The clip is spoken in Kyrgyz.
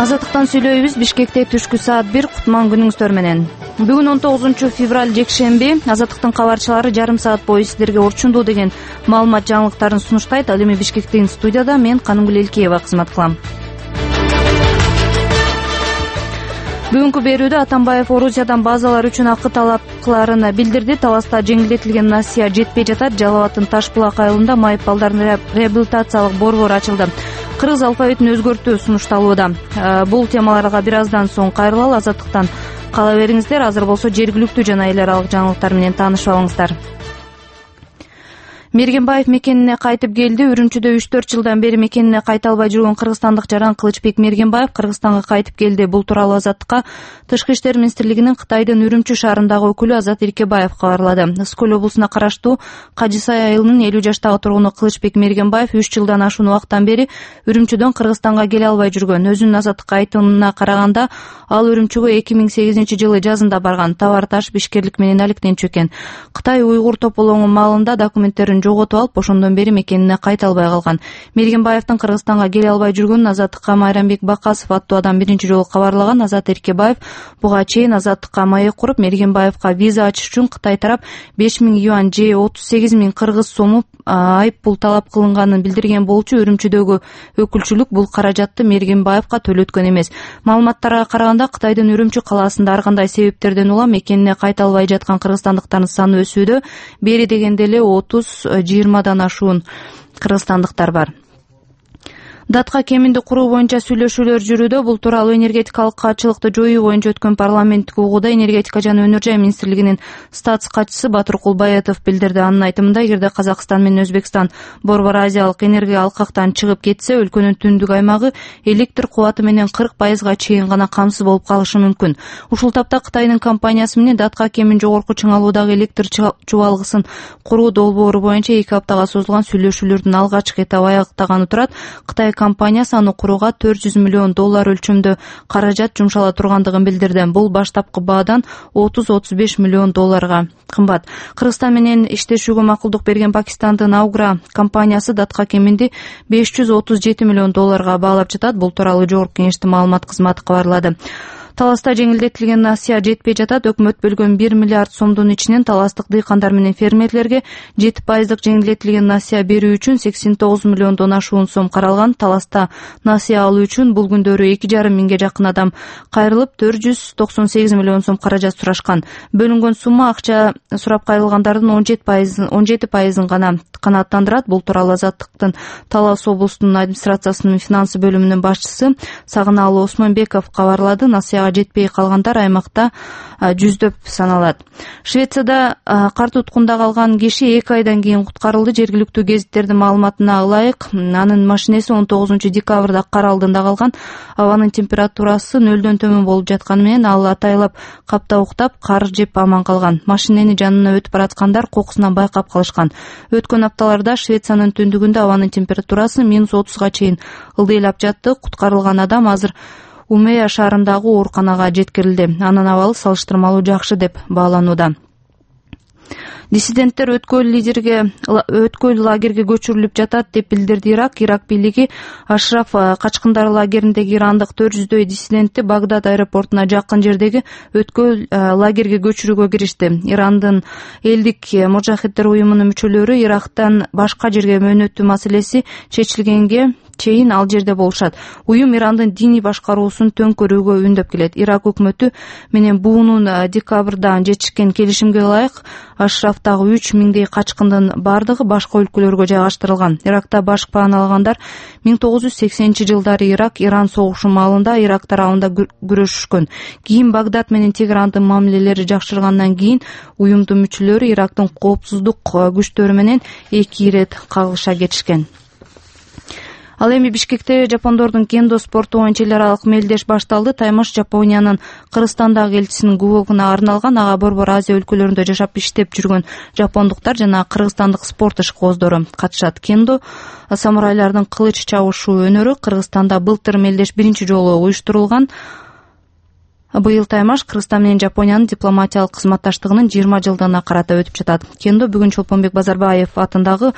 Азаттыктан сүйлөйбүз. Бишкекте түшкү саат 1 кутман күнүңүздөр менен. Бүгүн 19-февраль жекшемби. Азаттыктын кабарчылары жарым саат бою сиздерге орчундуу деген маалымат жаңылыктарын сунуштайт. Ал эми Бишкектин студияда мен Канымгүл Элкеева кызмат кылам. Бүгүнкү берүүдө Атамбаев Орусиядан базалар үчүн акы талап кыларын билдирди. Таласта жеңилдетилген насыя жетпей жатат. Жалал абаддын Таш булак айылында майыппалдардын реабилитациялык борбору ачылды. Кыргыз алфавитин өзгөртүү сунушталууда. Бул темаларга бир аздан соң кайрылалы. Азаттыктан кала бериңиздер. Азыр болсо жергиликтүү жана эл аралык жаңылыктар менен таанышып алыңыздар. Мергенбаев мекенине кайтып келди. Үрүмчүдө 3-4 жылдан бери мекенине кайта албай жүргөн кыргызстандык жаран Кылычбек Мергенбаев Кыргызстанга кайтып келди. Бул тууралуу Азаттыкка Тышкы иштер министрлигинин Кытайдын Үрүмчү шаарындагы өкүлү Азат Эркебаев кабарлады. Ысык-Көл облусуна караштуу Кажысай айылынын 50 жаштагы тургуну Кылычбек Мергенбаев 3 жылдан ашуун убакыттан бери Үрүмчүдөн Кыргызстанга келе албай жүргөн. Өзүнүн Азаттыкка айтымына караганда, ал Үрүмчүгө 2008 жылы жазында барган. Товар таш бишкерлик менен алектенчү экен. Кытай уйгур тополоңу маалында документтерин жоготуп алып, ошондон бери мекенине кайта албай калган. Мергенбаевдин Кыргызстанга келе албай жүргөнүн Азаттыкка Майрамбек Бакасов аттуу адам биринчи жолу кабарлаган. Азат Эркебаев буга чейин Азаттыкка маек куруп, Мергенбаевка виза ачыш үчүн Кытай тарап 5000 юань же 38.000 кыргыз сому айып пул талап кылынганын билдирген болчу. Үрүмчүдөгү өкүлчүлүк бул каражатты Мергенбаевка төлөткөн эмес. Маалыматтарга караганда, Кытайдын Үрүмчү калаасында ар кандай себептерден улам мекенине кайта албай жаткан кыргызстандыктардын саны өсүүдө. Бери дегенде эле 30-20дан ашуун кыргызстандыктар бар. Датка кеминди куруу боюнча сүйлөшүүлөр жүрүүдө. Бул тууралуу энергетикалык катчылыкты жоюу боюнча өткөн парламенттик угууда энергетика жана өнөр жай министрлигинин статс катчысы Батыр Кулбаетов билдирди. Анын айтымында, эгерде Казакстан менен Өзбекстан Борбор Азиялык энергия алкактан чыгып кетсе, өлкөнүн түндүк аймагы электр кубаты менен 40% чейин гана камсыз болуп калышы мүмкүн. Ушул тапта Кытайдын компаниясы менен Датка кемин жогорку чыңалуудагы электр чубалгысын куруу долбоору боюнча 2 аптага созулган сүйлөшүүлөрдүн алгачкы этабы аяктаганы турат. Кытай компаниясы аны курууга $400 миллион өлчөмдө каражат жумшала тургандыгын билдирди. Бул баштапкы баадан $30-35 миллион кымбат. Кыргызстан менен иштешүүгө макулдук берген Пакистандын Аугра компаниясы Датка кеминди $537 миллион баалап жатат. Бул тууралуу Жогорку Кеңештин маалымат кызматы кабарлады. Таласта жеңилдетилген насыя жетпей жатат. Өкмөт бөлгөн 1 миллиард сомдун ичинен таластык дыйкандар менен фермерлерге 7% жеңилдетилген насыя берүү үчүн 89 миллиондон ашуун сом каралган. Таласта насыя алуу үчүн бул күндөрү 2,5 миңге жакын адам кайрылып, 498 миллион сом каражат сурашкан. Бөлүнгөн сумма акча сурап кайрылгандардын 17%-ын гана канааттандырат. Бул тууралуу Азаттыктын Талас облустунун администрациясынын финансы бөлүмүнүн башчысы Сагынаалы Осмонбеков кабарлады. Насыяга жетпей калгандар аймакта жүздөп саналат. Швецияда кар туткунда калган киши 2 айдан кийин куткарылды. Жергиликтүү гезиттердин маалыматына ылайык, анын машинеси 19 декабрда кар алдында калган. Абанын температурасы 0дон төмөн болуп жатканы менен ал атайлап капта уктап, кар жеп аман калган. Машинени жанына өтүп бараткандар кокусунан байкап калышкан. Өткөн апталарда Швециянын түндүгүндө абанын температурасы -30га чейин ылдыйлап жатты. Куткарылган адам азыр Умея шаарындагы ооруканага жеткирилди. Анын абалы салыштырмалуу жакшы деп бааланууда. Диссиденттер өткөл лагерге көчүрүлүп жатат деп билдирди Ирак. Ирак бийлиги Ашраф качкындар лагериндеги ирандык 400дөй диссидентти Багдад аэропортуна жакын жердеги өткөл лагерге көчүрүүгө киришти. Ирандын элдик мужахиддер уюмунун мүчөлөрү Ирактан башка жерге мөөнөтүү маселеси чечилгенге чейин ал жерде болушат. Уюм Ирандын диний башкаруусун төңкөрүүгө үндөп келет. Ирак өкмөтү менен буунун декабрда жетишкен келишимге ылайык Ашрафтагы 3000дей качкындын бардыгы башка өлкөлөргө жайгаштырылган. Иракта баш паналагандар 1980-жылдары Ирак-Иран согушу маалында Ирак тарабында күрөшүшкөн. Кийин Багдад менен Тегерандын мамилелери жакшыргандан кийин уюмдун мүчөлөрү Ирактын коопсуздук күчтөрү менен 2 ирет кагылыша кетишкен. Ал эми Бишкекте жапондордун кендо спорту боюнча эл аралык мелдеш башталды. Таймаш Жапониянын Кыргызстандагы элчисинин кубогуна арналган. Ага Борбор Азия өлкөлөрүндө жашап иштеп жүргөн жапондуктар жана кыргызстандык спорт ишкооздору катышат. Кендо самурайлардын кылыч чабышуу өнөрү Кыргызстанда былтыр мелдеш биринчи жолу уюштурулган. Быйыл Таймаш Кыргызстан менен Жапониянын дипломатиялык кызматташтыгынын 20 жылдыгына карата өтүп жатат. Кендо бүгүн Чолпонбек Базарбаев атындагы